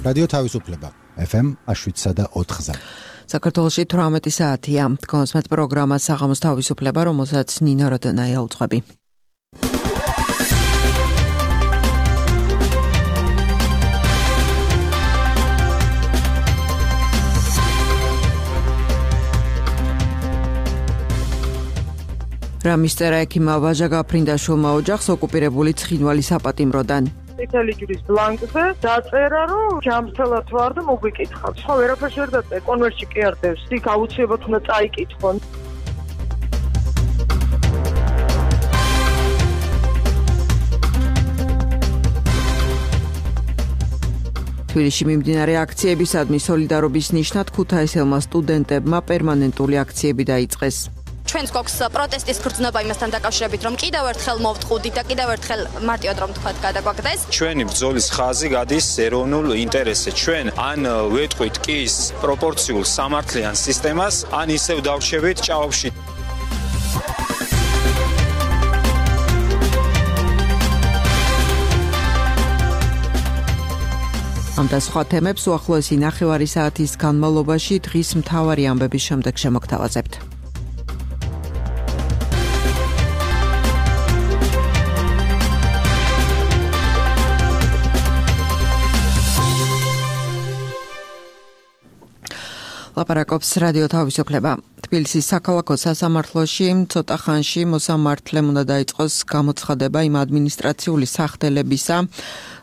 რადიო თავისუფლება FM 7.4-ზე. საქართველოში 18 საათია. კონსმეთ პროგრამა საღამოს თავისუფლება, რომელსაც ნინო როდონაია უძღვები. რა მისტერა ექიმა ვაჟა გაფრინდაშვილმა ოჯახს ოკუპირებული ცხინვალის საპატიმროდან. წითელი ჯვრის ბლანკზე დაწერა, რომ ჯამრთელად ვარ და მოგვიკითხავთ. ხო, ვერაფერს ვერ დაწერა, კონვერტში კი არ დევს. იქ აუცილებლად უნდა წაიკითხონ. თბილისში მიმდინარე აქციებისადმი სოლიდარობის ნიშნად ქუთაისელმა სტუდენტებმა პერმანენტული აქციები დაიწყეს. ჩვენს გვაქვს პროტესტის გრძნობა იმასთან დაკავშირებით, რომ კიდევ ერთხელ მოვთხოვდით და კიდევ ერთხელ მარტივად რომ თქვათ გადაგვაგდეს. ჩვენი ბრძოლის ხაზი გადის ეროვნულ ინტერესზე. ჩვენ ან ვეტყვით კის პროპორციულ სამართლიან სისტემას, ან ისევ დავრჩებით ჭაობში. ამ და სხვა თემებს უახლოესი ნახევარი საათის განმავლობაში დღის მთავარი ამბების შემდეგ შემოგთავაზებთ. ლაპარაკობს რადიო თავისუფლება. თბილისის საქალაქო სასამართლოში ცოტა ხანში მოსამართლემ უნდა დაიწყოს გამოცხადება იმ ადმინისტრაციული სახდელებისა,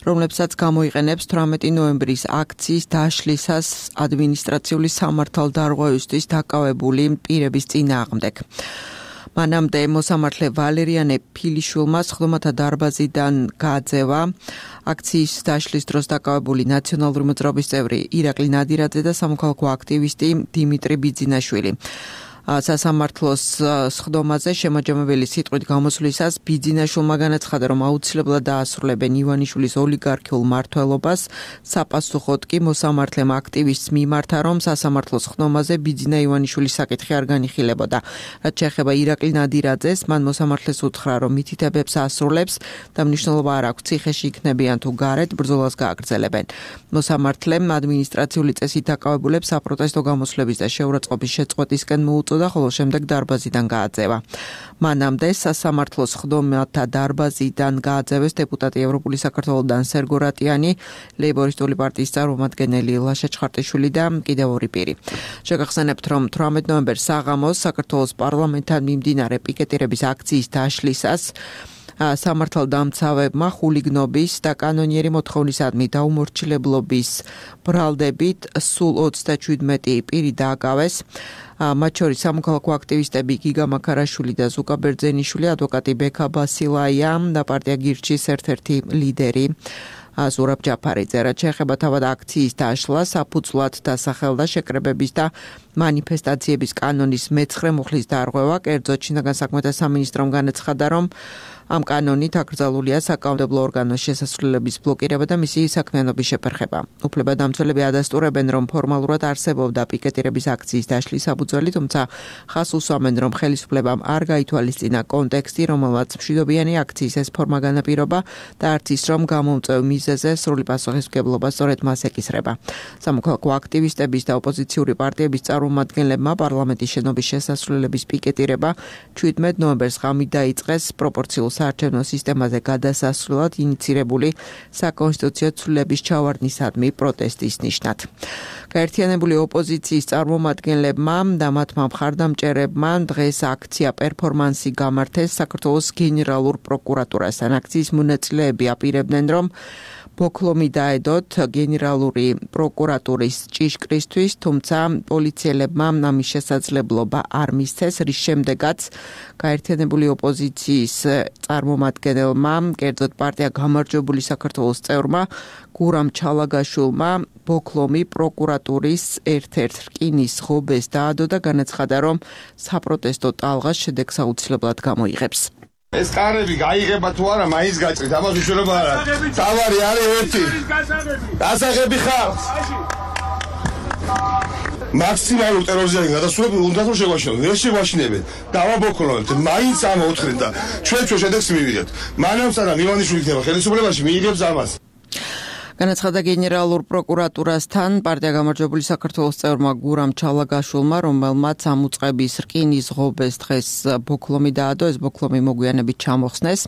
რომლებსაც გამოიყენებს 18 ნოემბრის აქციის დაშლისას ადმინისტრაციული სამართალდარღვევისთვის დაკავებული პირების წინააღმდეგ. მანამდე მოსამართლე ვალერიანე ფილიშვილმა სხდომათა დარბაზიდან გააძევა აქციის დაშლის დროს დაკავებული ნაციონალური მოძრაობის წევრი ირაკლი ნადირაძე და სამოქალაქო აქტივისტი დიმიტრი ბიძინაშვილი. სასამართლოს სხდომაზე შემაჯამებელი სიტყვით გამოსვლისას ბიძინაშვილმა განაცხადა, რომ აუცილებლად დაასრულებენ ივანიშვილის ოლიგარქიულ მმართველობას. საპასუხოდ კი მოსამართლემ აქტივისტს მიმართა, რომ სასამართლოს სხდომაზე ბიძინა ივანიშვილის საკითხი არ განიხილებოდა. რაც შეეხება ირაკლი ნადირაძეს, მან მოსამართლეს უთხრა, რომ მითითებებს ასრულებს და მნიშვნელობა არ აქვს ციხეში იქნებიან თუ გარეთ ბრძოლას გააგრძელებენ. მოსამართლემ ადმინისტრაციული წესით დაკავებულებს საპროტესტო გამოსვლების და შეურაცხყოფის შეწყვეტისკენ მოუწოდა, ხოლო შემდეგ დარბაზიდან გააძევა. მანამდე სასამართლოს სხდომათა დარბაზიდან გააძევეს დეპუტატი ევროპული საქართველოდან სერგო რატიანი, ლეიბორისტული პარტიის წარმომადგენელი ლაშა ჩხარტიშვილი და კიდევ ორი პირი. შეგახსენებთ, რომ 18 ნოემბერს საღამოს საქართველოს პარლამენტთან მიმდინარე პიკეტირების აქციის დაშლისას სამართალდამცავებმა ხულიგნობის და კანონიერი მოთხოვნისადმი დაუმორჩილებლობის ბრალდებით სულ 37 პირი დააკავეს. მათ შორის სამოქალაქო აქტივისტები გიგა მაქარაშვილი და ზუკა ბერძენიშვილი, ადვოკატი ბექა ბასილაია და პარტია გირჩის ერთ-ერთი ლიდერი ზურაბ ჯაფარიძე. რაც შეეხება თავად აქციის დაშლას, საფუძვლად დასახელდა შეკრებების და მანიფესტაციების კანონის მე-9 მუხლის დარღვევა. კერძოდ შინაგან საქმეთა სამინისტრომ განაცხადა, რომ ამ კანონით აკრძალულია საკანონმდებლო ორგანოს შესასვლელების ბლოკირება და მისი საქმიანობის შეფერხება. უფლებადამცველები ადასტურებენ, რომ ფორმალურად არსებობდა პიკეტირების აქციის დაშლის საფუძველი, თუმცა ხაზს უსვამენ, რომ ხელისუფლებამ არ გაითვალისწინა კონტექსტი, რომელმაც მშვიდობიანი აქციის ეს ფორმა განაპირობა და არც ის, რომ გამომწვევ მიზეზზე სრული პასუხისმგებლობა სწორედ მას ეკისრება. სამოქალაქო აქტივისტების და ოპოზიციური პარტიების წარმომადგენლებმა პარლამენტის შენობის შესასვლელების პიკეტირება 17 ნოემბერს ღამით დაიწყეს პროპორციულ საარჩევნო სისტემაზე გადასასვლელად ინიცირებული საკონსტიტუციო ცვლილების ჩავარდნისადმი პროტესტის ნიშნად. გაერთიანებული ოპოზიციის წარმომადგენლებმა და მათმა მხარდამჭერებმა დღეს აქცია პერფორმანსი გამართეს საქართველოს გენერალურ პროკურატურასთან. აქციის მონაწილეები აპირებდნენ, რომ ბოქლომი დაედოთ გენერალური პროკურატურის ჭიშკრისთვის, თუმცა პოლიციელებმა ამის შესაძლებლობა არ მისცეს, რის შემდეგაც გაერთიანებული ოპოზიციის წარმომადგენელმა, კერძოდ პარტია გამარჯვებული საქართველოს წევრმა გურამ ჩალაგაშვილმა ბოქლომი პროკურატურის ერთ-ერთ რკინის ღობეს დაადო და განაცხადა, რომ საპროტესტო ტალღას შედეგს აუცილებლად გამოიღებს. ეს კარები გაიღება თუ არა, მაინც გაჭრით, ამას უშუალოდ არა. თავარი არის ერთი. დასაღები ხალხს. მაქსიმალურ ტერორიზმზე გადასულები უნდა რომ შეგვაშინოთ. ვერ შეგვაშინებენ. დავაბოქლოვებთ. მაინც ამოუთხრენ და ჩვენ შედეგს მივიღებთ. მანამ სანამ ივანიშვილი იქნება ხელისუფლებაში, მიიღებს ამას. განაცხადა გენერალურ პროკურატურასთან პარტია გამარჯვებული საქართველოს წევრმა გურამ ჩალაგაშვილმა, რომელმაც ამუწყების რკინის ღობეს დღეს ბოქლომი დაადო, ეს ბოქლომი მოგვიანებით ჩამოხსნეს.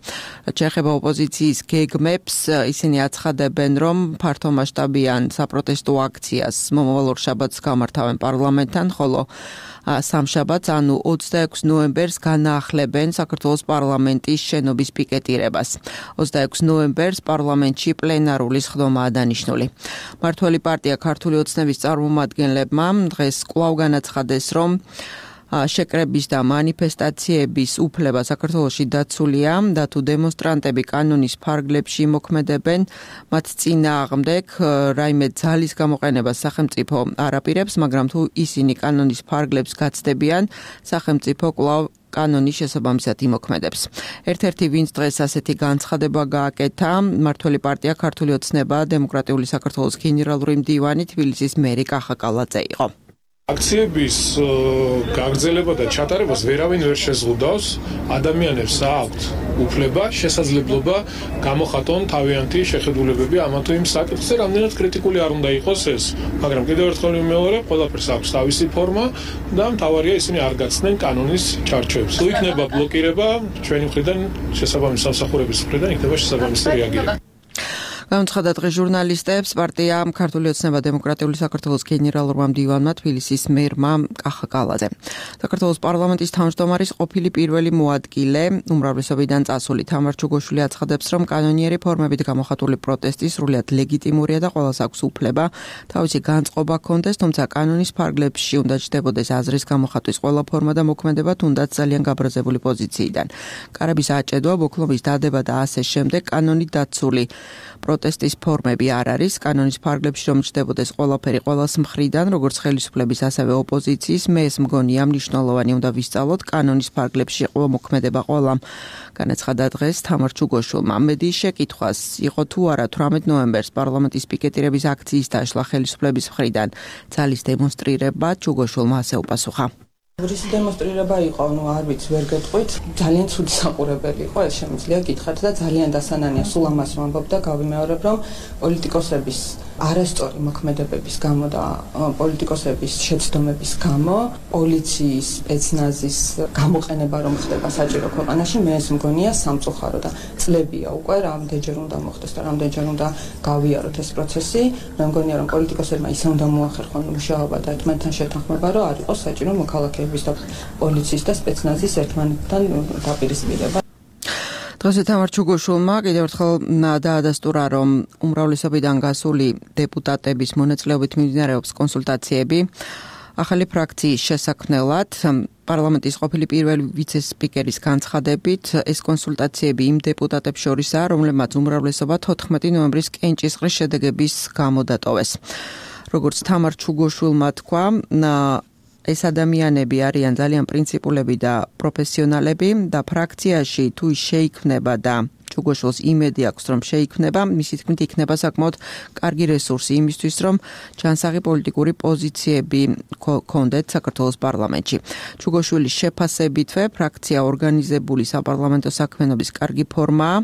შეეხება ოპოზიციის გეგმებს, ისინი აცხადებენ, რომ ფართომასშტაბიან საპროტესტო აქციას მომავალ შაბათს გამართავენ პარლამენტთან, ხოლო სამშაბათს, ანუ 26 ნოემბერს განაახლებენ საქართველოს პარლამენტის შენობის პიკეტირებას. 26 ნოემბერს პარლამენტში პლენარული სხდომაა დანიშნული. მართველი პარტია ქართული ოცნების წარმომადგენლებმა დღეს კვლავ განაცხადეს, რომ შეკრების და მანიფესტაციების უფლება საქართველოში დაცულია და თუ დემონსტრანტები კანონის ფარგლებში მოქმედებენ, მათ წინააღმდეგ რაიმე ძალის გამოყენებას სახელმწიფო არ აპირებს, მაგრამ თუ ისინი კანონის ფარგლებს გაცდებიან, სახელმწიფო კვლავ კანონის შესაბამისად იმოქმედებს. ერთ-ერთი ვინც დღეს ასეთი განცხადება გააკეთა, მართველი პარტია ქართული ოცნება დემოკრატიული საქართველოს გენერალური მდივანი თბილისის მერი კახა კალაძე იყო. აქციების გაგრძელება და ჩატარებას ვერავინ ვერ შეზღუდავს. ადამიანებს აქვთ უფლება, შესაძლებლობა გამოხატონ თავიანთი შეხედულებები ამა თუ იმ საკითხზე, რამდენად კრიტიკული არ უნდა იყოს ეს, მაგრამ კიდევ ერთხელ ვიმეორებ, ყველაფერს აქვს თავისი ფორმა და მთავარია ისინი არ გაცდნენ კანონის ჩარჩოებს. თუ იქნება ბლოკირება, ჩვენი მხრიდან, შესაბამისი სამსახურების მხრიდან იქნება შესაბამისი რეაგირება. განაცხადა დღეს ჟურნალისტებს პარტია ქართული ოცნება დემოკრატიული საქართველოს გენერალურმა მდივანმა თბილისის მერმა კახა კალაძე. საქართველოს პარლამენტის თავმჯდომარის ყოფილი პირველი მოადგილე, უმრავლესობიდან წასული თამარ ჩუგოშვილი აცხადებს, რომ კანონიერი ფორმებით გამოხატული პროტესტი სრულიად ლეგიტიმურია და ყველას აქვს უფლება თავისი განწყობა ჰქონდეს, თუმცა კანონის ფარგლებში უნდა ჩნდებოდეს აზრის გამოხატვის ყველა ფორმა და მოქმედება თუნდაც ძალიან გაბრაზებული პოზიციიდან. კარების აჭედვა, ბოქლომის დადება და ასე შემდეგ კანონით დაცული პროტესტის ფორმები არ არის. კანონის ფარგლებში რომ ჩნდებოდეს ყველაფერი ყველას მხრიდან, როგორც ხელისუფლების, ასევე ოპოზიციის, მე ეს მგონია მნიშვნელოვანი უნდა ვისწავლოთ კანონის ფარგლებში ყველა მოქმედება ყველამ. განაცხადა დღეს თამარ ჩუგოშვილმა. მედიის შეკითხვას იყო თუ არა 18 ნოემბერს პარლამენტის პიკეტირების აქციის დაშლა ხელისუფლების მხრიდან ძალის დემონსტრირება, ჩუგოშვილმა ასე უპასუხა. რის დემონსტრირება იყო, არ ვიცი, ვერ გეტყვით. ძალიან ცუდი საყურებელი იყო, ეს შემიძლია გითხრათ და ძალიან დასანანია სულ ამას ვამბობ და გავიმეორებ, რომ პოლიტიკოსების არასწორი მოქმედებების გამო და პოლიტიკოსების შეცდომების გამო, პოლიციის, სპეცნაზის გამოყენება რომ ხდება საჭირო ქვეყანაში, მე ეს მგონია სამწუხარო და წლებია უკვე რამდენჯერ უნდა მოხდეს და რამდენჯერ უნდა გავიაროთ ეს პროცესი. მე მგონია რომ პოლიტიკოსებმა ისე უნდა მოახერხონ მუშაობა და ერთმანეთთან შეთანხმება, რომ არ იყოს საჭირო მოქალაქეების და პოლიციის და სპეცნაზის ერთმანეთთან დაპირისპირება. დღეს თამარ ჩუგოშვილმა კიდევ ერთხელ დაადასტურა, რომ უმრავლესობიდან გასული დეპუტატების მონაწილეობით მიმდინარეობს კონსულტაციები ახალი ფრაქციის შესაქმნელად. პარლამენტის ყოფილი პირველი ვიცე-სპიკერის განცხადებით, ეს კონსულტაციები იმ დეპუტატებს შორისაა, რომლებმაც უმრავლესობა 14 ნოემბრის კენჭისყრის შედეგების გამო დატოვეს. როგორც თამარ ჩუგოშვილმა თქვა, ეს ადამიანები არიან ძალიან პრინციპულები და პროფესიონალები და ფრაქციაში თუ შეიქმნება და ჩუგოშვილს იმედი აქვს, რომ შეიქმნება, მისი თქმით იქნება საკმაოდ კარგი რესურსი იმისთვის, რომ ჯანსაღი პოლიტიკური პოზიციები ჰქონდეთ საქართველოს პარლამენტში. ჩუგოშვილის შეფასებითვე ფრაქცია ორგანიზებული საპარლამენტო საქმიანობის კარგი ფორმაა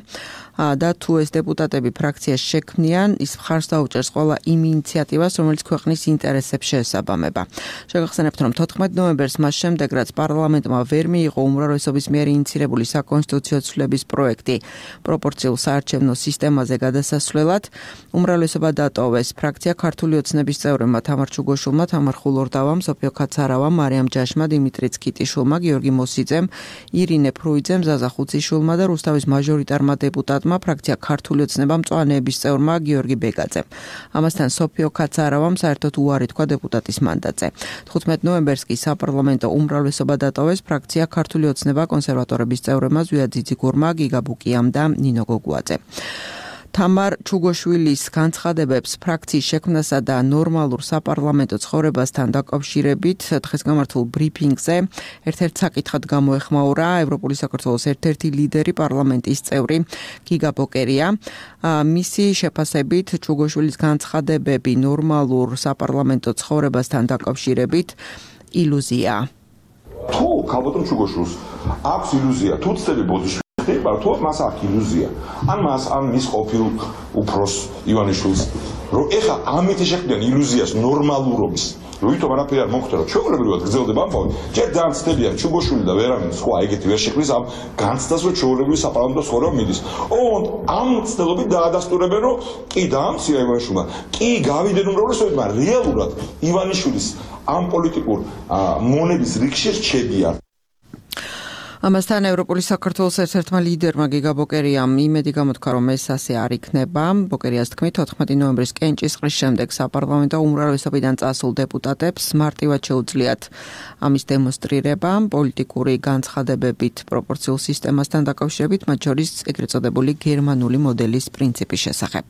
და თუ ეს დეპუტატები ფრაქციას შექმნიან, ის მხარს დაუჭერს ყველა იმ ინიციატივას, რომელიც ქვეყნის ინტერესებს შეესაბამება. შეგახსენებთ, რომ 14 ნოემბერს მას შემდეგ, რაც პარლამენტმა ვერ მიიღო უმრავლესობის მიერ ინიცირებული საკონსტიტუციო ცვლილების პროექტი პროპორციულ საარჩევნო სისტემაზე გადასასვლელად, უმრავლესობა დატოვეს. ფრაქცია ქართული ოცნების წევრებმა თამარ ჩუგოშვილმა, თამარ ხულორდავამ, სოფიო კაცარავამ, მარიამ ჯაშმა, დიმიტრი წკიტიშვილმა, გიორგი მოსიძემ, ირინე ფრუიძემ, ზაზა ხუციშვილმა და რუსთავის მაჟორიტარმა დეპუტატმა ფრაქცია ქართული ოცნება მწვანეების წევრმა გიორგი ბეგაძემ. ამასთან სოფიო კაცარავამ საერთოდ უარი თქვა დეპუტატის მანდატზე. 15 ნოემბერს კი საპარლამენტო უმრავლესობა დატოვეს ფრაქცია ქართული ოცნება კონსერვატორების წევრებმა ზვია ძიძიგურმა, გიგა ბუკიამ და ნინო გოგუაძე. თამარ ჩუგოშვილის განცხადებებს ფრაქციის შექმნასა და ნორმალურ საპარლამენტო ცხოვრებასთან დაკავშირებით დღეს გამართულ ბრიფინგზე ერთ-ერთ საკითხად გამოეხმაურა ევროპული საქართველოს ერთ-ერთი ლიდერი პარლამენტის წევრი გიგა ბოკერია. მისი შეფასებით ჩუგოშვილის განცხადებები ნორმალურ საპარლამენტო ცხოვრებასთან დაკავშირებით ილუზია. თუ ქალბატონ ჩუგოშვილს აქვს ილუზია თუ ცდები ბოდიში ხდება თუ მას აქვს ილუზია ან მის ყოფილ უფროს ივანიშვილს რომ ეხა ამით შეხვდნენ ილუზიას ნორმალურობის როითომ არაფერი არ მოხდა რომ ჩვეულებრივად გრძელდება ამბავი ჯერ ძალიან ცდებიან ჩუბოშვილი და ვერავინ სხვა ეგეთი ვერ შექმნის ამ განცდას რომ ჩვეულებრივი საპარლამენტო ცხოვრება მიდის ოღონდ ამ ცდილობით დაადასტურებენ რომ კი დაამცირა ივანიშვილმა კი გავიდნენ უმრავლესობებმა რეალურად ივანიშვილის ამ პოლიტიკურ მონების რიგში რჩებიან ამასთან ევროპული საქართველოს ერთ-ერთმა ლიდერმა გიგა ბოკერიამ იმედი გამოთქვა, რომ ეს ასე არ იქნება. ბოკერიას თქმით, 14 ნოემბრის კენჭისყრის შემდეგ საპარლამენტო უმრავლესობიდან წასულ დეპუტატებს მარტივად შეუძლიათ ამის დემონსტრირება პოლიტიკური განცხადებებით პროპორციულ სისტემასთან დაკავშირებით, მათ შორის ეგრეთ წოდებული გერმანული მოდელის პრინციპის შესახებ.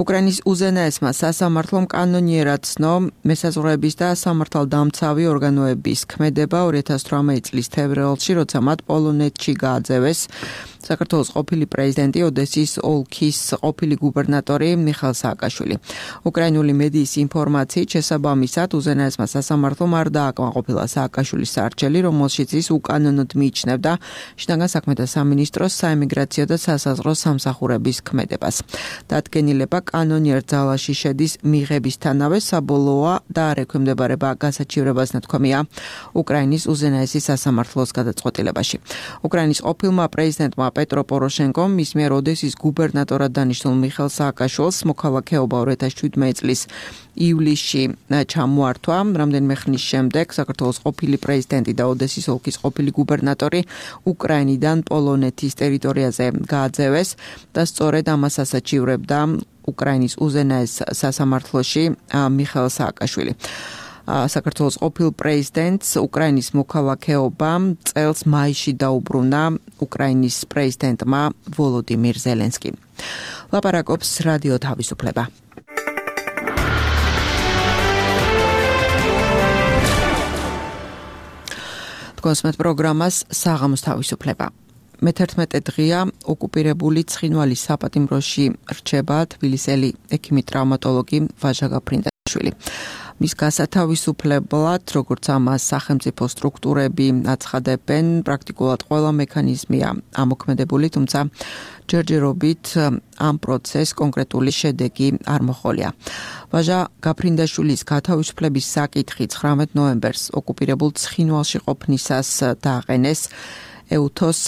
უკრაინის უზენაესმა სასამართლომ კანონიერად ცნო მესაზღვრეების და სამართალდამცავი ორგანოების ქმედება 2018 წლის თებერვალში, როცა მათ პოლონეთში გააძევეს საქართველოს ყოფილი პრეზიდენტი ოდესის ოლქის ყოფილი გუბერნატორი მიხეილ სააკაშვილი. უკრაინული მედიის ინფორმაციით შესაბამისად უზენაესმა სასამართლომ არ დააკმაყოფილა სააკაშვილის სარჩელი, რომელშიც ის უკანონოდ მიიჩნევდა შინაგან საქმეთა სამინისტროს საემიგრაციო და სასაზღვრო სამსახურების ქმედებას. დადგენილება კანონიერ ძალაში შედის მიღებისთანავე საბოლოოა და არ ექვემდებარება გასაჩივრებას ნათქვამია უკრაინის უზენაესი სასამართლოს გადაწყვეტილებაში. უკრაინის ყოფილმა პრეზიდენტმა პეტრო პოროშენკომ მის მიერ ოდესის გუბერნატორად დანიშნულ მიხეილ სააკაშვილს მოქალაქეობა 2017 წლის ივლისში ჩამოართვა. რამდენიმე ხნის შემდეგ საქართველოს ყოფილი პრეზიდენტი და ოდესის ოლქის ყოფილი გუბერნატორი უკრაინიდან პოლონეთის ტერიტორიაზე გააძევეს და სწორედ ამას ასაჩივრებდა უკრაინის უზენაეს სასამართლოში მიხეილ სააკაშვილი. საქართველოს ყოფილ პრეზიდენტს უკრაინის მოქალაქეობა წელს მაისში დაუბრუნა უკრაინის პრეზიდენტმა ვოლოდიმირ ზელენსკიმ. ლაპარაკობს რადიო თავისუფლება. კონსმეთ პროგრამას საღამოს თავისუფლება. მე-11 დღეა ოკუპირებული ცხინვალის საპატიმროში რჩება თბილისელი ექიმი-ტრავმატოლოგი ვაჟა გაფრინდაშვილი. მის გასათავისუფლებლად, როგორც ამას სახელმწიფო სტრუქტურები აცხადებენ, პრაქტიკულად ყველა მექანიზმია ამოქმედებული, თუმცა ჯერჯერობით ამ პროცესს კონკრეტული შედეგი არ მოჰყოლია. ვაჟა გაფრინდაშვილის გათავისუფლების საკითხი 19 ნოემბერს ოკუპირებულ ცხინვალში ყოფნისას დააყენეს ეუთოს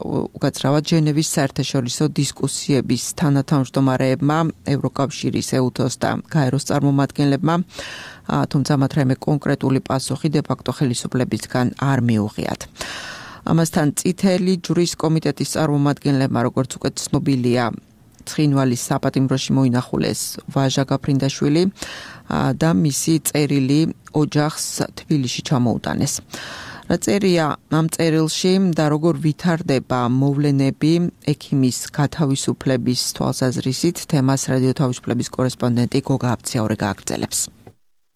უკაცრავად ჟენევის საერთაშორისო დისკუსიების თანათავმჯდომარეებმა, ევროკავშირის ეუთოს და გაეროს წარმომადგენლებმა, თუმცა მათ რაიმე კონკრეტული პასუხი დე-ფაქტო ხელისუფლებისგან არ მიუღიათ. ამასთან წითელი ჯვრის კომიტეტის წარმომადგენლებმა, როგორც უკვე ცნობილია, ცხინვალის საპატიმროში მოინახულეს ვაჟა გაფრინდაშვილი და მისი წერილი ოჯახს თბილისში ჩამოუტანეს. რა წერია ამ წერილში და როგორ ვითარდება მოვლენები ექიმის გათავისუფლების თვალსაზრისით, თემას რადიო თავისუფლების კორესპონდენტი გოგა აბციაური გააგრძელებს.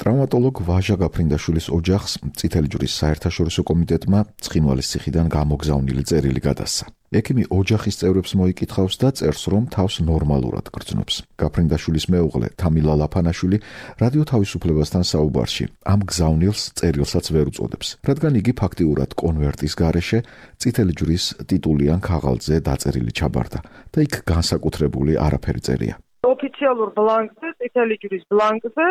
ტრავმატოლოგ ვაჟა გაფრინდაშვილის ოჯახს წითელი ჯვრის საერთაშორისო კომიტეტმა ცხინვალის ციხიდან გამოგზავნილი წერილი გადასცა. ექიმი ოჯახის წევრებს მოიკითხავს და წერს, რომ თავს ნორმალურად გრძნობს. გაფრინდაშვილის მეუღლე თამილა ლაფანაშვილი რადიო თავისუფლებასთან საუბარში ამ გზავნილს წერილსაც ვერ უწოდებს, რადგან იგი ფაქტიურად კონვერტის გარეშე წითელი ჯვრის ტიტულიან ქაღალდზე დაწერილი ჩაბარდა და იქ განსაკუთრებული არაფერი წერია. ოფიციალურ ბლანკზე, წითელი ჯვრის ბლანკზე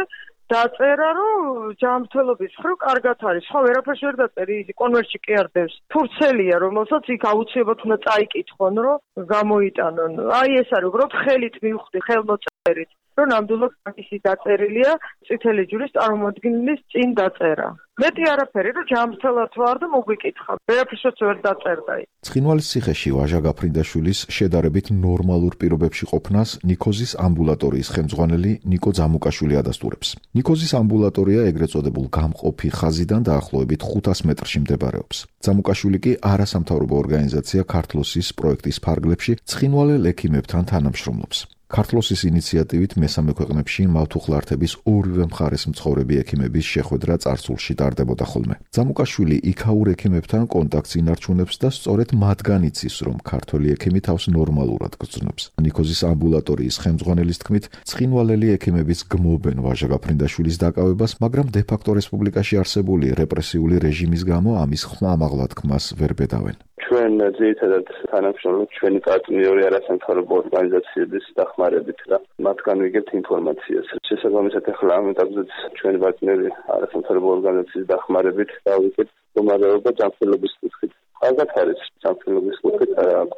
დაწერა, რომ ჯანმრთელობის მხრივ კარგად არის. ხო, ვერაფერს ვერ დაწერი, ის კონვერტში კი არ დევს. ფურცელია, რომელსაც იქ აუცილებლად უნდა წაიკითხონ, რომ გამოიტანონ. აი ეს არის, უბრალოდ ხელით მივხვდი, ხელმოწერით, რომ ნამდვილად ისე დაწერილია წითელი ჯვრის წარმომადგენლის წინ დაწერა. მეტი არაფერი, რომ ჯანმრთელად ვარ და მოგვიკითხა. ვერაფერსაც ვერ დაწერდა. ცხინვალის ციხეში ვაჟა გაფრინდაშვილის შედარებით ნორმალურ პირობებში ყოფნას ნიკოზის ამბულატორიის ხელმძღვანელი ნიკო ძამუკაშვილი ადასტურებს. ნიკოზის ამბულატორია ეგრეთ წოდებულ გამყოფი ხაზიდან დაახლოებით 500 მეტრში მდებარეობს. ძამუკაშვილი კი არასამთავრობო ორგანიზაცია ქართლოსის პროექტის ფარგლებში ცხინვალელ ექიმებთან თანამშრომლობს. ქართლოსის ინიციატივით მესამე ქვეყნებში მავთუხლართების ორივე მხარეს მცხოვრები ექიმების შეხვედრა წარსულში ტარდებოდა ხოლმე. ძამუკაშვილი იქაურ ექიმებთან კონტაქტს ინარჩუნებს და სწორედ მათგან იცის, რომ ქართველი ექიმი თავს ნორმალურად გრძნობს. ნიკოზის ამბულატორიის ხელმძღვანელის თქმით, ცხინვალელი ექიმების გმობენ ვაჟა გაფრინდაშვილის დაკავებას, მაგრამ დე-ფაქტო რესპუბლიკაში არსებული რეპრესიული რეჟიმის გამო ამის ხმამაღლად ხმას ვერ ბედავენ. ჩვენ ძირითადად თანამშრომლობთ ჩვენი პარტნიორი არასამთავრობო ორგანიზაციების დახმარებით და მათგან ვიგებთ ინფორმაციას. შესაბამისად ახლა ამ ეტაპზეც ჩვენი პარტნიორი არასამთავრობო ორგანიზაციის დახმარებით დავიგებთ მდგომარეობა ჯანმრთელობის კუთხით. ალბათ არის ჯანმრთელობის კუთხით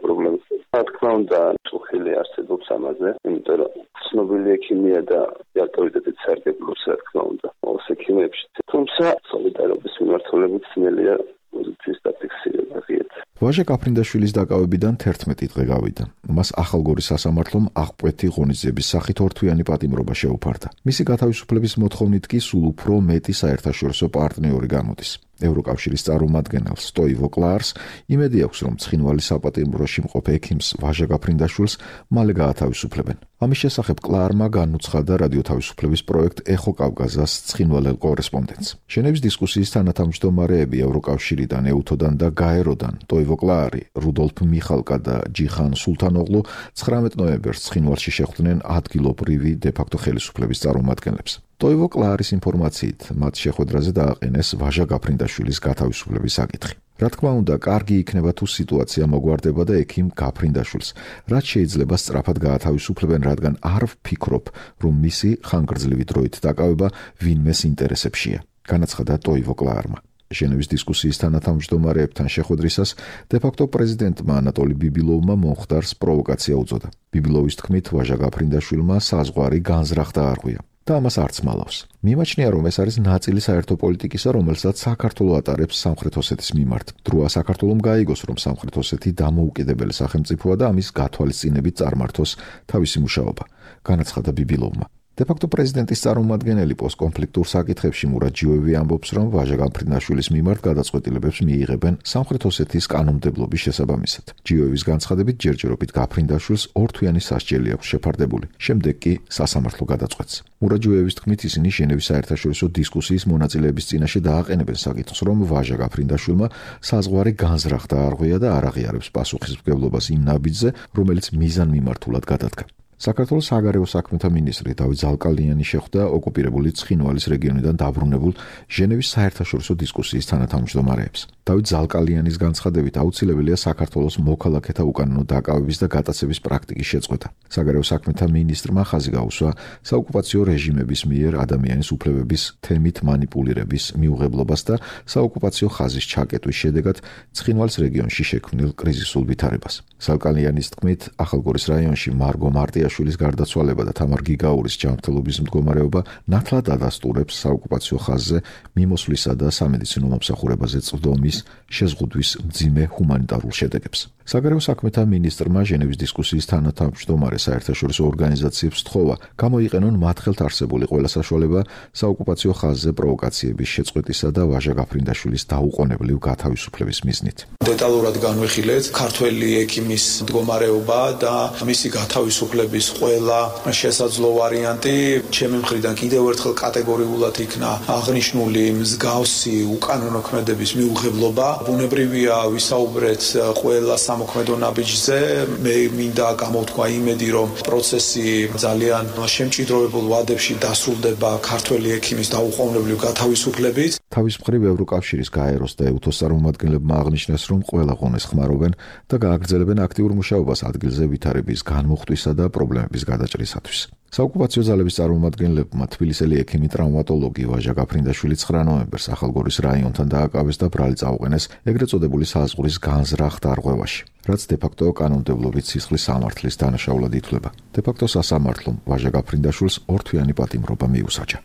პრობლემები. რა თქმა უნდა, წუხილი არსებობს ამაზე, იმიტომ რომ ცნობილი ექიმია და ავტორიტეტით სარგებლობს, რა თქმა უნდა, ყოველ ექიმებში. თუმცა სოლიდარობის მიმართულებით ძნელია პოზიციის დაფიქსირება ღიად. ვაჟა კაფრინდაშვილის დაკავებიდან 11 დღე გავიდა. მას ახალგორის სასამართლომ აღკვეთი ღონისძიების სახით ორთვიანი პატიმრობა შეუფარდა. მისი გათავისუფლების მოთხოვნით კი სულ უფრო მეტი საერთაშორისო პარტნიორი გამოდის. ევროკავშირის წარმომადგენელს სტოივო კლარს იმედი აქვს, რომ ცხინვალის საპატიმროში მყოფ ექიმს ვაჟა კაფრინდაშვილს მალე გაათავისუფლებენ. ამის შესახებ კლარმა განუცხადა რადიო თავისუფლების პროექტ ეხო კავკაზას ცხინვალელ კორესპონდენტს. ჟენევის დისკუსიის თანათავმჯდომარეები ევროკავშირიდან, ეუთოდან და გაეროდან ტოივო კლარი, რუდოლფ მიხალკა და ჯიხან სულთანოღლუ 19 ნოემბერს ცხინვალში შეხვდნენ ადგილობრივი დე-ფაქტო ხელისუფლების წარმომადგენლებს. ტოივო კლარის ინფორმაციით მათ შეხვედრაზე დააყენეს ვაჟა გაფრინდაშვილის გათავისუფლების საკითხი. რა თქმა უნდა, კარგი იქნება თუ სიტუაცია მოგვარდება და ექიმ გაფრინდაშვილს რაც შეიძლება სწრაფად გაათავისუფლებენ, რადგან არ ვფიქრობ, რომ მისი ხანგრძლივი დროით დაკავება ვინმეს ინტერესებშია, განაცხადა ტოივო კლარმა. ჟენევის დისკუსიის თანათავმჯდომარეებთან შეხვედრისას დე-ფაქტო პრეზიდენტმა ანატოლი ბიბილოვმა მომხდარს პროვოკაცია უწოდა. ბიბილოვის თქმით, ვაჟა გაფრინდაშვილმა საზღვარი განზრახ დაარღვია. და ამას არც მალავს. მიმაჩნია, რომ ეს არის ნაწილი საერთო პოლიტიკისა, რომელსაც საქართველო ატარებს სამხრეთ ოსეთის მიმართ. დროა საქართველომ გაიგოს, რომ სამხრეთ ოსეთი დამოუკიდებელი სახელმწიფოა და ამის გათვალისწინებით წარმართოს თავისი მუშაობა, განაცხადა ბიბილოვმა. დე-ფაქტო პრეზიდენტის წარმომადგენელი პოსტკონფლიქტურ საკითხებში მურად ჯიოევი ამბობს, რომ ვაჟა გაფრინდაშვილის მიმართ გადაწყვეტილებებს მიიღებენ სამხრეთ ოსეთის კანონმდებლობის შესაბამისად. ჯიოევის განცხადებით, ჯერჯერობით გაფრინდაშვილს ორთვიანი სასჯელი აქვს შეფარდებული, შემდეგ კი სასამართლო გადაწყვეტს. მურად ჯიოევის თქმით, ისინი ჟენევის საერთაშორისო დისკუსიის მონაწილეების წინაშე დააყენებენ საკითხს, რომ ვაჟა გაფრინდაშვილმა საზღვარი განზრახ დაარღვია და არ აღიარებს პასუხისმგებლობას იმ ნაბიჯზე, რომელიც მიზანმიმართულად გადადგა. საქართველოს საგარეო საქმეთა მინისტრი დავით ზალკალიანი შეხვდა ოკუპირებული ცხინვალის რეგიონიდან დაბრუნებულ ჟენევის საერთაშორისო დისკუსიის თანათავმჯდომარეებს. დავით ზალკალიანის განცხადებით აუცილებელია საქართველოს მოქალაქეთა უკანონო დაკავების და გატაცების პრაქტიკის შეწყვეტა. საგარეო საქმეთა მინისტრმა ხაზი გაუსვა საოკუპაციო რეჟიმების მიერ ადამიანის უფლებების თემით მანიპულირების მიუღებლობას და საოკუპაციო ხაზის ჩაკეტვის შედეგად ცხინვალის რეგიონში შექმნილ კრიზისულ ვითარებას. ზალკალიანის თქმით, ახალგორის რაიონში მარგო მარტიაშვილის გარდაცვალება და თამარ გიგაურის ჯანმრთელობის მდგომარეობა ნათლად ადასტურებს საოკუპაციო ხაზზე მიმოსვლისა და სამედიცინო მომსახურებაზე წვდომის შეზღუდვის მძიმე ჰუმანიტარულ შედეგებს. საგარეო საქმეთა მინისტრმა ჟენევის დისკუსიის თანათავმჯდომარე საერთაშორისო ორგანიზაციებს სთხოვა გამოიყენონ მათ ხელთ არსებული ყველა საშუალება საოკუპაციო ხაზზე პროვოკაციების შეწყვეტისა და ვაჟა გაფრინდაშვილის დაუყოვნებლივ გათავისუფლების მიზნით. დეტალურად განვიხილეთ ქართველი ექიმის მდგომარეობა და მისი გათავისუფლების ყველა შესაძლო ვარიანტი. ჩემი მხრიდან კიდევ ერთხელ კატეგორიულად იქნა აღნიშნული მსგავსი უკანონო ქმედების მიუღებლობა. ბუნებრივია ვისაუბრეთ ყველა სამოქმედო ნაბიჯზე. მე მინდა გამოვთქვა იმედი, რომ პროცესი ძალიან შემჭიდროვებულ ვადებში დასრულდება ქართველი ექიმის დაუყოვნებლივ გათავისუფლებით. თავის მხრივ ევროკავშირის გაეროს და ეუთოს წარმომადგენლებმა აღნიშნეს, რომ ყველა ღონეს ხმარობენ და გააგრძელებენ აქტიურ მუშაობას ადგილზე ვითარების განმუხტვისა და პრობლემების გადაჭრისათვის. საოკუპაციო ძალების წარმომადგენლებმა თბილისელი ექიმი ტრავმატოლოგი ვაჟა გაფრინდაშვილი 9 ნოემბერს ახალგორის რაიონთან დააკავეს და ბრალი წაუყენეს ეგრეთ წოდებული საზღვრის განზრახ დარღვევაში, რაც დე-ფაქტო კანონმდებლობით სისხლის სამართლის დანაშაულად ითვლება. დე-ფაქტო სასამართლომ ვაჟა გაფრინდაშვილს ორთვიანი პატიმრობა მიუსაჯა.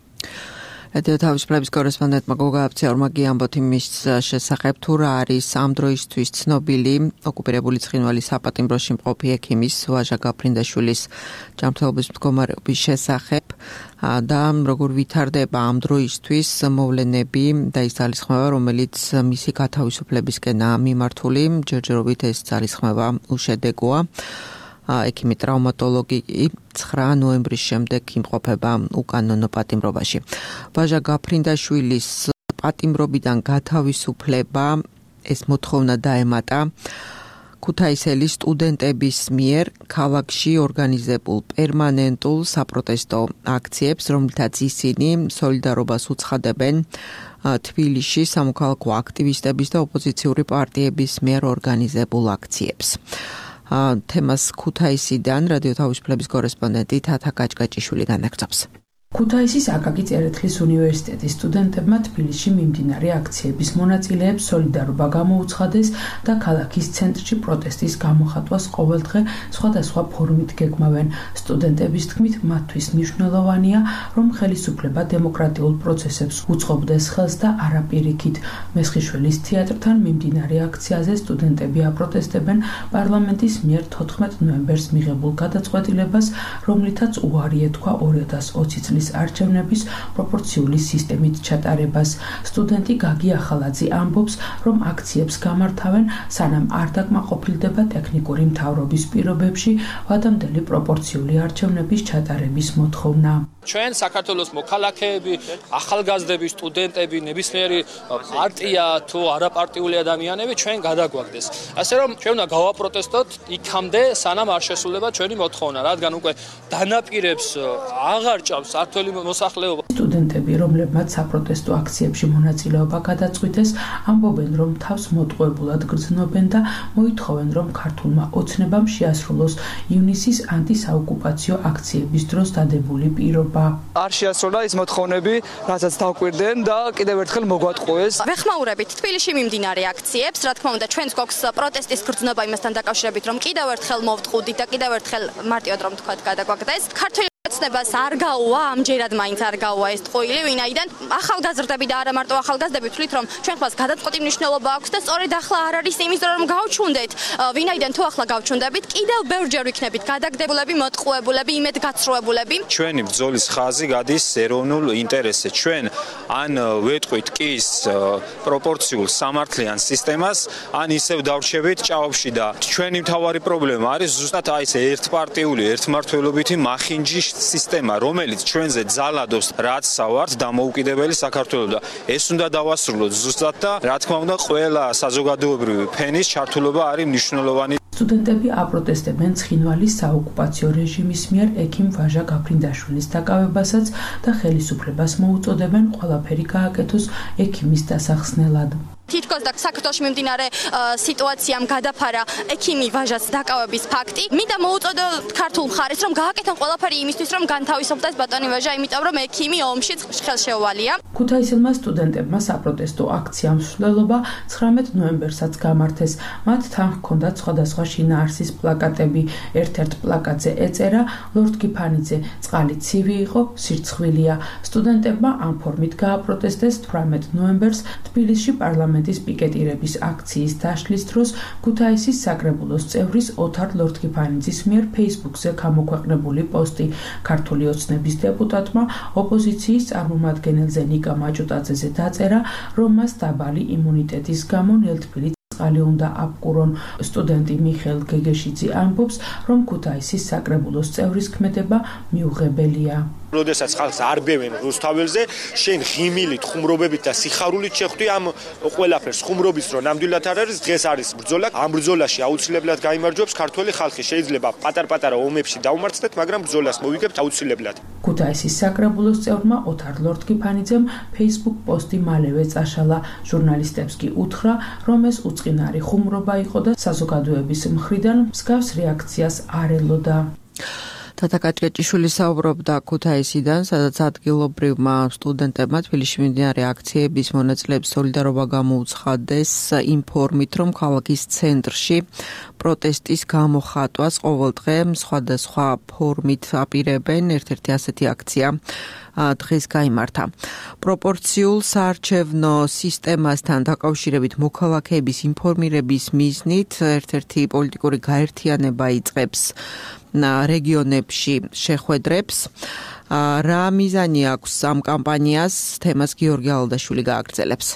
რადიო თავისუფლების კორესპონდენტმა გოგა აბციაურმა გიამბოთ იმის შესახებ, თუ რა არის ამ დროისთვის ცნობილი ოკუპირებული ცხინვალის საპატიმროში მყოფი ექიმის ვაჟა გაფრინდაშვილის ჯანმრთელობის მდგომარეობის შესახებ და როგორ ვითარდება ამ დროისთვის მოვლენები და ის ძალისხმევა, რომელიც მისი გათავისუფლებისკენაა მიმართული. ჯერჯერობით ეს ძალისხმევა უშედეგოა. ექიმი ტრავმატოლოგი 9 ნოემბრის შემდეგ იმყოფება უკანონო პატიმრობაში. ვაჟა გაფრინდაშვილის პატიმრობიდან გათავისუფლება ეს მოთხოვნა დაემატა ქუთაისელი სტუდენტების მიერ ქალაქში ორგანიზებულ პერმანენტულ საპროტესტო აქციებს, რომლითაც ისინი სოლიდარობას უცხადებენ თბილისში სამოქალაქო აქტივისტების და ოპოზიციური პარტიების მიერ ორგანიზებულ აქციებს. თემას ქუთაისიდან რადიო თავისუფლების კორესპონდენტი თათა გაჭგაჭიშვილი განაგრძობს. ქუთაისის აკაკი წერეთლის უნივერსიტეტის სტუდენტებმა თბილისში მიმდინარე აქციების მონაწილეებს სოლიდარობა გამოუცხადეს და ქალაქის ცენტრში პროტესტის გამოხატვას ყოველდღე სხვადასხვა ფორმით გეგმავენ. სტუდენტების თქმით, მათთვის მნიშვნელოვანია, რომ ხელისუფლება დემოკრატიულ პროცესებს უწყობდეს ხელს და არა პირიქით. მესხიშვილის თეატრთან მიმდინარე აქციაზე სტუდენტები აპროტესტებენ პარლამენტის მიერ 14 ნოემბერს მიღებულ გადაწყვეტილებას, რომლითაც უარი ეთქვა 2020 წლის არჩევნების პროპორციული სისტემით ჩატარებას. სტუდენტი გაგი ახალაძე ამბობს, რომ აქციებს გამართავენ, სანამ არ დაკმაყოფილდება ტექნიკური მთავრობის პირობებში ვადამდელი პროპორციული არჩევნების ჩატარების მოთხოვნა. ჩვენ საქართველოს მოქალაქეები, ახალგაზრდები, სტუდენტები, ნებისმიერი პარტია თუ არაპარტიული ადამიანები ჩვენ გადაგვაგდეს. ასე რომ ჩვენ უნდა გავაპროტესტოთ იქამდე, სანამ არ შესრულება ჩვენი მოთხოვნა, რადგან უკვე დანაპირებს აღარ ჭამს ქართველი მოსახლეობა. სტუდენტები, რომლებმაც საპროტესტო აქციებში მონაწილეობა გადაწყვიტეს, ამბობენ, რომ თავს მოტყუებულად გრძნობენ და მოითხოვენ, რომ ქართულმა ოცნებამ შეასრულოს ივნისის ანტისაოკუპაციო აქციების დროს დადებული პირობა. არ შეასრულა ის მოთხოვნები, რასაც დავკვირდნენ და კიდევ ერთხელ მოგვატყუეს. ვეხმაურებით თბილისში მიმდინარე აქციებს, რა თქმა უნდა, ჩვენს გვაქვს პროტესტის გრძნობა იმასთან დაკავშირებით, რომ კიდევ ერთხელ მოვტყუდით და კიდევ ერთხელ მარტივად რომ თქვა გადაგვაგდეს. ქართული ოცნებას არ გაუვა, ამჯერად მაინც არ გაუვა ეს ტყუილი, ვინაიდან ახალგაზრდები და არა მარტო ახალგაზრდები თვლით, რომ ჩვენ ხმას გადაწყვეტი მნიშვნელობა აქვს და სწორედ ახლა არ არის იმის რომ გავჩვუნდეთ, ვინაიდან თუ ახლა გავჩვუნდებით, კიდევ ბევრჯერ ვიქნებით გადაგდებულები, მოტყუებულები, იმედგაცრუებულები. ჩვენი ბრძოლის ხაზი გადის ეროვნულ ინტერესზე. ჩვენ ან ვეტყვით კის პროპორციულ სამართლიან სისტემას, ან ისევ დავრჩებით ჭაობში და ჩვენი მთავარი პრობლემა არის ზუსტად აი ეს ერთპარტიული, ერთმართველობითი მახინჯი სისტემა, რომელიც ჩვენზე ძალადობს, რაც სავართ დამოუკიდებელი საქართველოს და ეს უნდა დავასრულოთ ზუსტად და რა თქმა უნდა ყველა საზოგადოებრივი ფენის ჩართულობა არის მნიშვნელოვანი. სტუდენტები აპროტესტებენ ცხინვალის საოკუპაციო რეჟიმის მიერ ექიმ ვაჟა გაფრინდაშვილის დაკავებასაც და ხელისუფლებას მოუწოდებენ ყველაფერი გააკეთოს ექიმის დასახსნელად. თითქოს და საქართველოში მიმდინარე სიტუაციამ გადაფარა ექიმი ვაჟას დაკავების ფაქტი. მინდა მოუწოდო ქართულ მხარეს, რომ გააკეთონ ყველაფერი იმისთვის, რომ განთავისუფლდეს ბატონი ვაჟა, იმიტომ რომ ექიმი ომში ხელშეუვალია. ქუთაისელმა სტუდენტებმა საპროტესტო აქცია მსვლელობა 19 ნოემბერსაც გამართეს. მათ თან ჰქონდათ სხვადასხვა შინაარსის პლაკატები. ერთ-ერთ პლაკატზე ეწერა: ლორდ გიფანიძე, წყალი ცივი იყო, სირცხვილია. სტუდენტებმა ამ ფორმით გააპროტესტეს 18 ნოემბერს თბილისში პარლამენტის პიკეტირების აქციის დაშლის დროს ქუთაისის საკრებულოს წევრის ოთარ ლორდ-გიფანიძის მიერ Facebook-ზე გამოქვეყნებული პოსტი. ქართული ოცნების დეპუტატმა ოპოზიციის წარმომადგენელზე ნიკა მაჭუტაძეზე დაწერა, რომ მას დაბალი იმუნიტეტის გამო ნელთბილი წყალი უნდა აპკურონ. სტუდენტი მიხეილ გეგეშიძე ამბობს, რომ ქუთაისის საკრებულოს წევრის ქმედება მიუღებელია. როდესაც ხალხს არბევენ რუსთაველზე, შენ ღიმილით, ხუმრობებით და სიხარულით შეხვდი ამ ყველაფერს. ხუმრობის დრო ნამდვილად არ არის, დღეს არის ბრძოლა. ამ ბრძოლაში აუცილებლად გაიმარჯვებს ქართველი ხალხი. შეიძლება პატარ-პატარა ომებში დაუმარცხდეთ, მაგრამ ბრძოლას მოვიგებთ აუცილებლად. ქუთაისის საკრებულოს წევრმა ოთარ ლორდ-გიფანიძემ Facebook პოსტი მალევე წაშალა. ჟურნალისტებს კი უთხრა, რომ ეს უწყინარი ხუმრობა იყო და საზოგადოების მხრიდან მსგავს რეაქციას არ ელოდა. თათა გაჭგაჭიშვილი საუბრობდა ქუთაისიდან, სადაც ადგილობრივმა სტუდენტებმა თბილისში მიმდინარე აქციების მონაწილეებს სოლიდარობა გამოუცხადეს იმ ფორმით, რომ ქალაქის ცენტრში პროტესტის გამოხატვას ყოველდღე სხვადასხვა ფორმით აპირებენ. ერთ-ერთი ასეთი აქცია დღეს გაიმართა. პროპორციულ საარჩევნო სისტემასთან დაკავშირებით მოქალაქეების ინფორმირების მიზნით ერთ-ერთი პოლიტიკური გაერთიანება იწყებს რეგიონებში შეხვედრებს. რა მიზანი აქვს ამ კამპანიას? თემას გიორგი ალდაშვილი გააგრძელებს.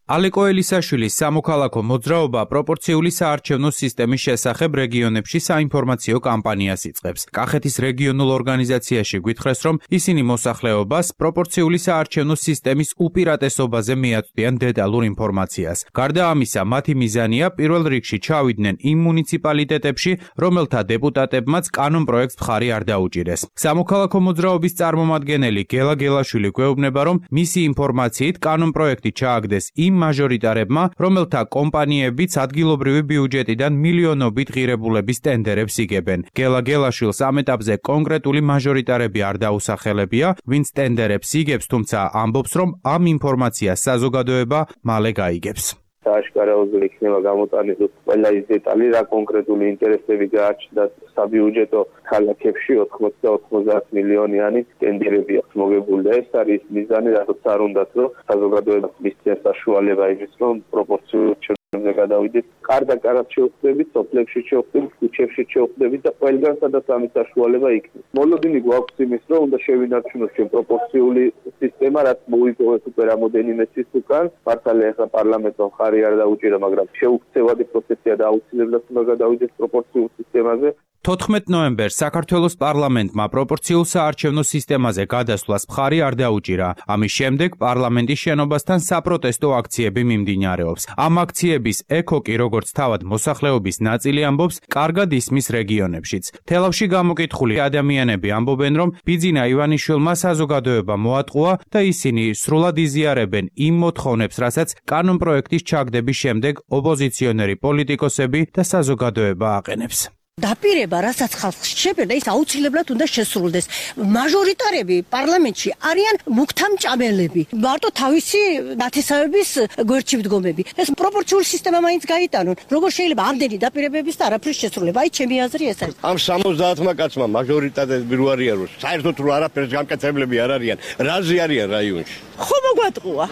ალეკო ელისაშვილის სამოქალაქო მოძრაობა პროპორციული საარჩევნო სისტემის შესახებ რეგიონებში საინფორმაციო კამპანიას იწყებს. კახეთის რეგიონულ ორგანიზაციაში გვითხრეს, რომ ისინი მოსახლეობას პროპორციული საარჩევნო სისტემის უპირატესობაზე მიაწვდიან დეტალურ ინფორმაციას. გარდა ამისა, მათი მიზანია პირველ რიგში ჩავიდნენ იმ მუნიციპალიტეტებში, რომელთა დეპუტატებმაც კანონპროექტს მხარი არ დაუჭირეს. სამოქალაქო მოძრაობის წარმომადგენელი გელა გელაშვილი გვეუბნება, რომ მისი ინფორმაციით კანონპროექტი ჩააგდეს იმ მაჟორიტარებმა, რომელთა კომპანიებიც ადგილობრივი ბიუჯეტიდან მილიონობით ღირებულების ტენდერებს იგებენ. გელა გელაშვილს ამ ეტაპზე კონკრეტული მაჟორიტარები არ დაუსახელებია, ვინც ტენდერებს იგებს, თუმცა ამბობს, რომ ამ ინფორმაციას საზოგადოება მალე გაიგებს. Აშკარაოზული იქნება გამოტანილი ყველა ის დეტალი, რა კონკრეტული ინტერესები გააჩნდა საბიუჯეტო ქალაქებში 80 მილიონიანი ტენდერები აქვს მოგებული და ეს არის მიზანი, რადგან არ უნდათ, რომ საზოგადოებას მისცეს საშუალება იმის, რომ პროპორციულად ჩვენზე გადავიდეთ. კარდაკარად შევხვდებით, სოფლებში შევხვდებით, ქუჩებში შევხვდებით და ყველგან სადაც ამის საშუალება იქნება. მოლოდინი გვაქვს იმის, რომ უნდა შევინარჩუნოთ ჩვენ პროპორციული სისტემა, რაც მოიპოვეთ უკვე რამოდენიმე წლის უკან. მართალია ახლა პარლამენტმა ხარი არ დაუჭირა, მაგრამ შეუქცევადი პროცესია და აუცილებლად უნდა გადავიდეთ პროპორციულ სისტემაზე. 14 ნოემბერს საქართველოს პარლამენტმა პროპორციულ საარჩევნო სისტემაზე გადასვლას მხარი არ დაუჭირა. ამის შემდეგ პარლამენტის შენობასთან საპროტესტო აქციები მიმდინარეობს. ამ აქციების ეკოკი, როგორც თავად მოსახლეობის ნაწილი ამბობს, კარგად ისმის რეგიონებშიც. თელავში გამოკითხული ადამიანები ამბობენ, რომ ბიძინა ივანიშვილმა საზოგადოება მოატყუა და ისინი სრულად იზიარებენ იმ მოთხოვნებს, რასაც კანონპროექტის ჩაგდების შემდეგ ოპოზიციონერი პოლიტიკოსები და საზოგადოება აყენებს. დაპირება, რასაც ხალხს შეფერდა, ის აუცილებლად უნდა შესრულდეს. მაჟორიტარები პარლამენტში არიან მუქთამჭამელები, მარტო თავისი ნათესავების გვერდში მდგომები. ეს პროპორციული სისტემა მაინც გაიტანონ. როგორ შეიძლება ამდენი დაპირებების და არაფრის შესრულება? აი, ჩემი აზრი ეს არის. ამ 70-მა კაცმა მაჟორიტარები რო არიან, რომ საერთოდ რო არაფერს გამკეთებლები არ არიან, რაზე არიან რაიონში? ხო მოგვატყუა.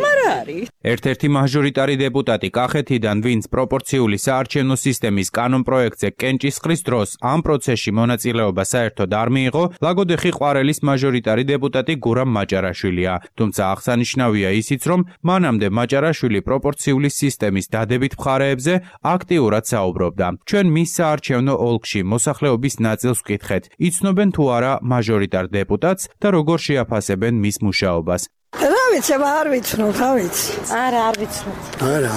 მარა არის. ერთ-ერთი მაჟორიტარი დეპუტატი კახეთიდან, ვინც პროპორციული საარჩევნო სისტემის კანონპროექტზე კენჭისყრის დროს ამ პროცესში მონაწილეობა საერთოდ არ მიიღო, ლაგოდეხი ყვარელის მაჟორიტარი დეპუტატი გურამ მაჭარაშვილია. თუმცა აღსანიშნავია ისიც, რომ მანამდე მაჭარაშვილი პროპორციული სისტემის დადებით მხარეებზე აქტიურად საუბრობდა. ჩვენ მის საარჩევნო ოლქში მოსახლეობის ნაწილს ვკითხეთ, იცნობენ თუ არა მაჟორიტარ დეპუტატს და როგორ შეაფასებენ მის მუშაობას. რა ვიცი, არ ვიცნობ, რა ვიცი. არა, არ ვიცნობ. არა.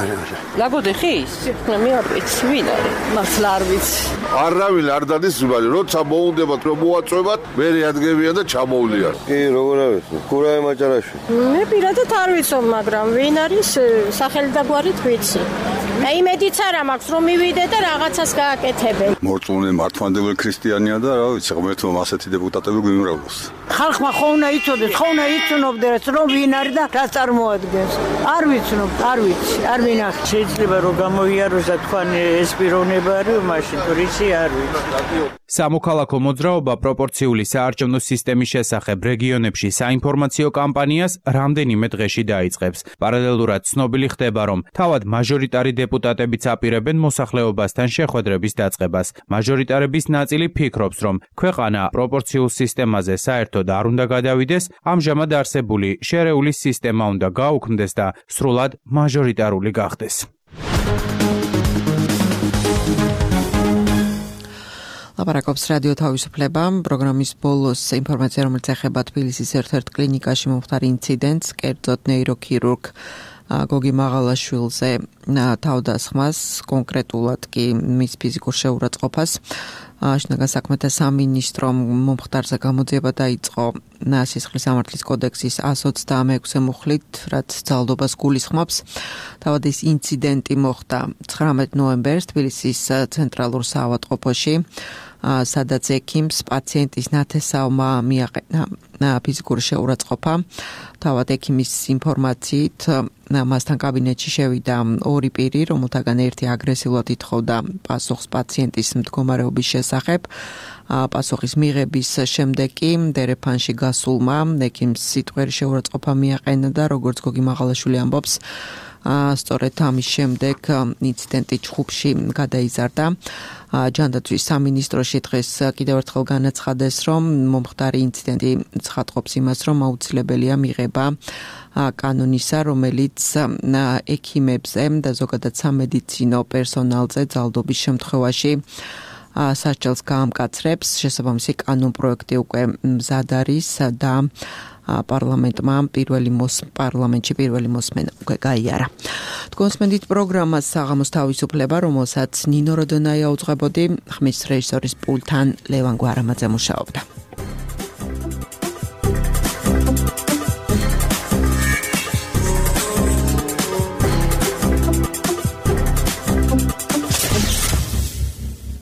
ლაგოდეხის? მე არ ვიცი, ვინ არის? მართლა არ ვიცი. არავინ არ დადის ზუბალი, როცა მოუნდებათ რომ მოაწვევათ, მე რეადგებიან და ჩამოვლიან. კი, როგორ არ ვიცი. გურამ მაჭარაშვილი. მე პირადად არ ვიცნობ, მაგრამ ვინ არის სახელი და გვარით ვიცი. აი იმედიც არა მაქვს რომ მივიდე და რაღაცას გააკეთებენ. მორწმუნე მართლმადიდებელი ქრისტიანია და რა ვიცი, ღმერთმა ასეთი დეპუტატები გვიმრავლოს. ხალხმა ხო უნდა იცოდეს, ხო უნდა იცნობდეს რომ ვინ არის და რა წარმოადგენს. არ ვიცნობ, არ ვიცი, არ ვინახე. შეიძლება რომ გამოიაროს და თქვენ ეს პიროვნება არის, მაშინ თურიცი არ ვიცი. სამოქალაქო მოძრაობა პროპორციული საარჩევნო სისტემის შესახებ რეგიონებში საინფორმაციო კამპანიას რამდენიმე დღეში დაიწყებს. პარალელურად ცნობილი ხდება, რომ თავად მაჟორიტარი დეპუტატებიც აპირებენ მოსახლეობასთან შეხვედრების დაწყებას. მაჟორიტარების ნაწილი ფიქრობს, რომ ქვეყანა პროპორციულ სისტემაზე საერთოდ არ უნდა გადავიდეს, ამჟამად არსებული შერეული სისტემა უნდა გაუქმდეს და სრულად მაჟორიტარული გახდეს. ლაპარაკობს რადიო თავისუფლება. პროგრამის ბოლოს ინფორმაცია, რომელიც ეხება თბილისის ერთ-ერთ კლინიკაში მომხდარ ინციდენტს, კერძოდ ნეიროქირურგ გოგი მაღალაშვილზე თავდასხმას, კონკრეტულად კი მის ფიზიკურ შეურაცხყოფას. შინაგან საქმეთა სამინისტრომ მომხდარზე გამოძიება დაიწყო სისხლის სამართლის კოდექსის 126 მუხლით, რაც ძალადობას გულისხმობს. თავად ეს ინციდენტი მოხდა 19 ნოემბერს თბილისის ცენტრალურ საავადმყოფოში, სადაც ექიმს პაციენტის ნათესავმა მიაყენა ფიზიკური შეურაცხყოფა. თავად ექიმის ინფორმაციით მასთან კაბინეტში შევიდა ორი პირი, რომელთაგან ერთი აგრესიულად ითხოვდა პასუხს პაციენტის მდგომარეობის შესახებ. პასუხის მიღების შემდეგ კი დერეფანში გასულმა ექიმს სიტყვიერი შეურაცხყოფა მიაყენა და როგორც გოგი მაღალაშვილი ამბობს, სწორედ ამის შემდეგ ინციდენტი ჩხუბში გადაიზარდა. ჯანდაცვის სამინისტროში დღეს კიდევ ერთხელ განაცხადეს, რომ მომხდარი ინციდენტი ცხადყოფს იმას, რომ აუცილებელია მიღება კანონისა, რომელიც ექიმებზე და ზოგადად სამედიცინო პერსონალზე ძალდობის შემთხვევაში სასჯელს გაამკაცრებს. შესაბამისი კანონპროექტი უკვე მზად არის და პარლამენტში პირველი მოსმენა უკვე გაიარა. თქვენსმენდით პროგრამას საღამოს თავისუფლება, რომელსაც ნინო როდონაია უძღვებოდი, ხმის რეჟისორის პულტთან ლევან გვარამაძე მუშაობდა.